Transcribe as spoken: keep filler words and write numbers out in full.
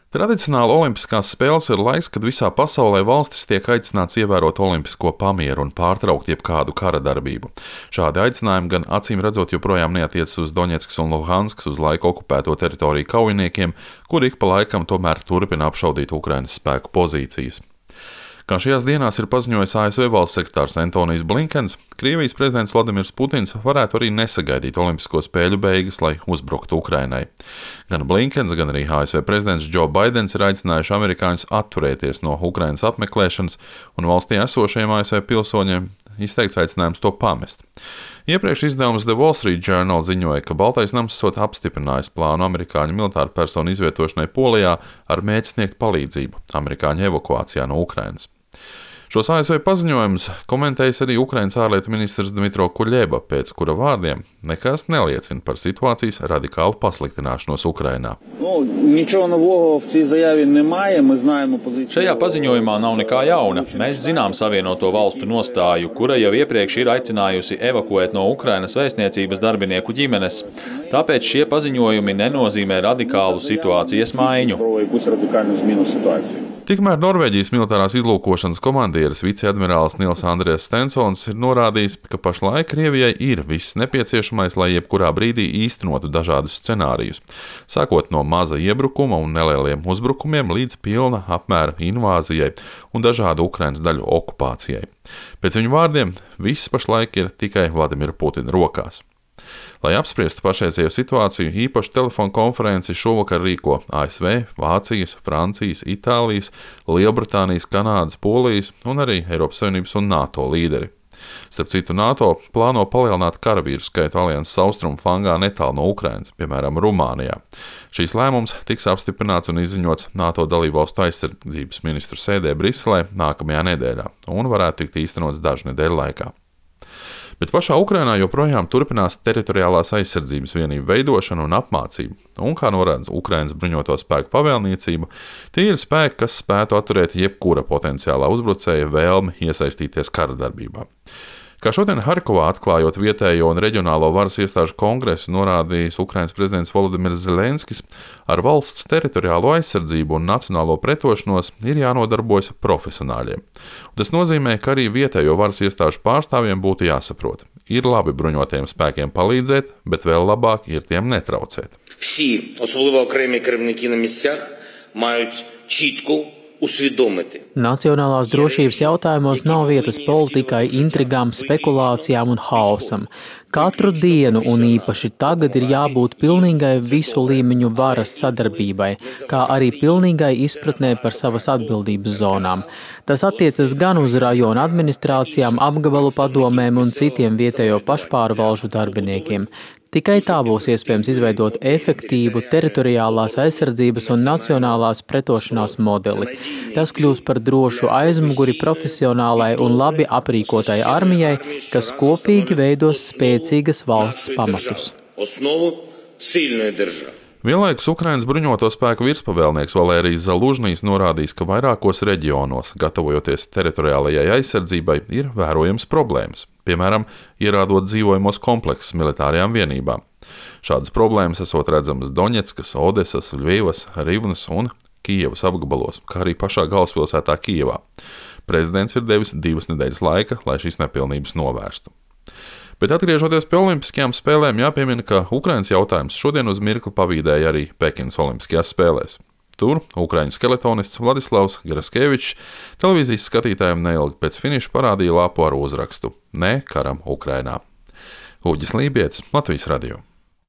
Tradicionāli olimpiskās spēles ir laiks, kad visā pasaulē valstis tiek aicināts ievērot olimpisko pamieru un pārtraukt jebkādu kara darbību. Šādi aicinājumi gan acīm redzot joprojām neatiecas uz Doņetskas un Luhanskas uz laiku okupēto teritoriju kaujiniekiem, kuri ik pa laikam tomēr turpina apšaudīt Ukrainas spēku pozīcijas. Kā šajās dienās ir paziņojis A S V valsts sekretārs Antonijs Blinkens, Krievijas prezidents Vladimirs Putins varētu arī nesagaidīt olimpisko spēļu beigas, lai uzbruktu Ukrainai. Gan Blinkens, gan arī A S V prezidents Džo Baidens ir aicinājuši amerikāņus atturēties no Ukrainas apmeklēšanas, un valstī esošajiem A S V pilsoņiem izteikts aicinājums to pamest. Iepriekš izdevums The Wall Street Journal ziņoja, ka Baltais nams esot apstiprinājis plānu amerikāņu militāru personu izvietošanai Polijā ar mērķi sniegt palīdzību amerikāņu evakuācijā no Ukrainas. Šos A S V paziņojumus komentējis arī Ukrainas ārlietu ministrs Dmitro Kuļeba, pēc kura vārdiem nekas neliecina par situācijas radikālu pasliktināšanos Ukrainā. Šajā paziņojumā nav nekā jauna. Mēs zinām Savienoto valstu nostāju, kura jau iepriekš ir aicinājusi evakuēt no Ukrainas vēstniecības darbinieku ģimenes. Tāpēc šie paziņojumi nenozīmē radikālu situācijas maiņu. Tikmēr Norvēģijas militārās izlūkošanas komandieris viceadmirālis Nils Andries Stensons ir norādījis, ka pašlaik Krievijai ir viss nepieciešamais, lai jebkurā brīdī īstenotu dažādus scenārijus, sākot no maza iebrukuma un nelieliem uzbrukumiem līdz pilna apmēra invāzijai un dažādu Ukrainas daļu okupācijai. Pēc viņu vārdiem, viss pašlaik ir tikai Vladimira Putina rokās. Lai apspriestu pašreizējo situāciju, īpašu telefonu konferenci šovakar rīko A S V, Vācijas, Francijas, Itālijas, Lielbritānijas, Kanādas, Polijas un arī Eiropas Savienības un NATO līderi. Starp citu, NATO plāno palielināt karavīru skaitu alianses austrumu flangā netālu no Ukrainas, piemēram, Rumānijā. Šīs lēmums tiks apstiprināts un izziņots NATO dalībvalstu aizsardzības ministru sēdē Briselē nākamajā nedēļā un varētu tikt īstenots dažu nedēļu laikā. Bet pašā Ukrainā joprojām turpinās teritoriālās aizsardzības vienību veidošana un apmācība, un, kā norāda Ukrainas bruņoto spēku pavēlniecība, tie ir spēki, kas spētu atturēt jebkura potenciālā uzbrucēja vēlmi iesaistīties kara darbībā. Kā šodien Harkovā atklājot vietējo un reģionālo varas iestāžu kongresu, norādījis Ukrainas prezidents Volodimirs Zelenskis, ar valsts teritoriālo aizsardzību un nacionālo pretošanos ir jānodarbojas profesionāļiem. Un tas nozīmē, ka arī vietējo varas iestāžu pārstāvjiem būtu jāsaprot. Ir labi bruņotajiem spēkiem palīdzēt, bet vēl labāk ir tiem netraucēt. Всі, особливо окремі керівники на місцях, мають чітко усвідомити. Nacionālās drošības jautājumos nav vietas politikai, intrigām, spekulācijām un haosam. Katru dienu un īpaši tagad ir jābūt pilnīgai visu līmeņu varas sadarbībai, kā arī pilnīgai izpratnē par savas atbildības zonām. Tas attiecas gan uz rajonu administrācijām, apgabalu padomēm un citiem vietējo pašpārvalžu darbiniekiem. Tikai tā būs iespējams izveidot efektīvu teritoriālās aizsardzības un nacionālās pretošanās modeli. Tas kļūs par drošu aizmuguri profesionālai un labi aprīkotai armijai, kas kopīgi veidos spēcīgas valsts pamatus. Vienlaikus Ukrainas bruņoto spēku virspavēlnieks Valērijs Zalužnijs norādījis, ka vairākos reģionos, gatavojoties teritoriālajai aizsardzībai, ir vērojams problēmas. Piemēram, ierādot dzīvojamos kompleksus militārajām vienībām. Šādas problēmas esot redzamas Doņetskas, Odesas, Ļvivas, Rivnas un Kijevas apgabalos, kā arī pašā galvaspilsētā Kijevā. Prezidents ir devis divas nedēļas laika, lai šīs nepilnības novērstu. Bet atgriežoties pie olimpiskajām spēlēm, jāpiemina, ka Ukrainas jautājums šodien uz mirkli pavīdēja arī Pekinas olimpiskajās spēlēs. Tur ukraiņu skeletonists Vladislavs Graskevičs televīzijas skatītājiem neilgi pēc finiša parādīja lapu ar uzrakstu "Ne karam Ukrainā". Uģis Lībietis, Latvijas radio.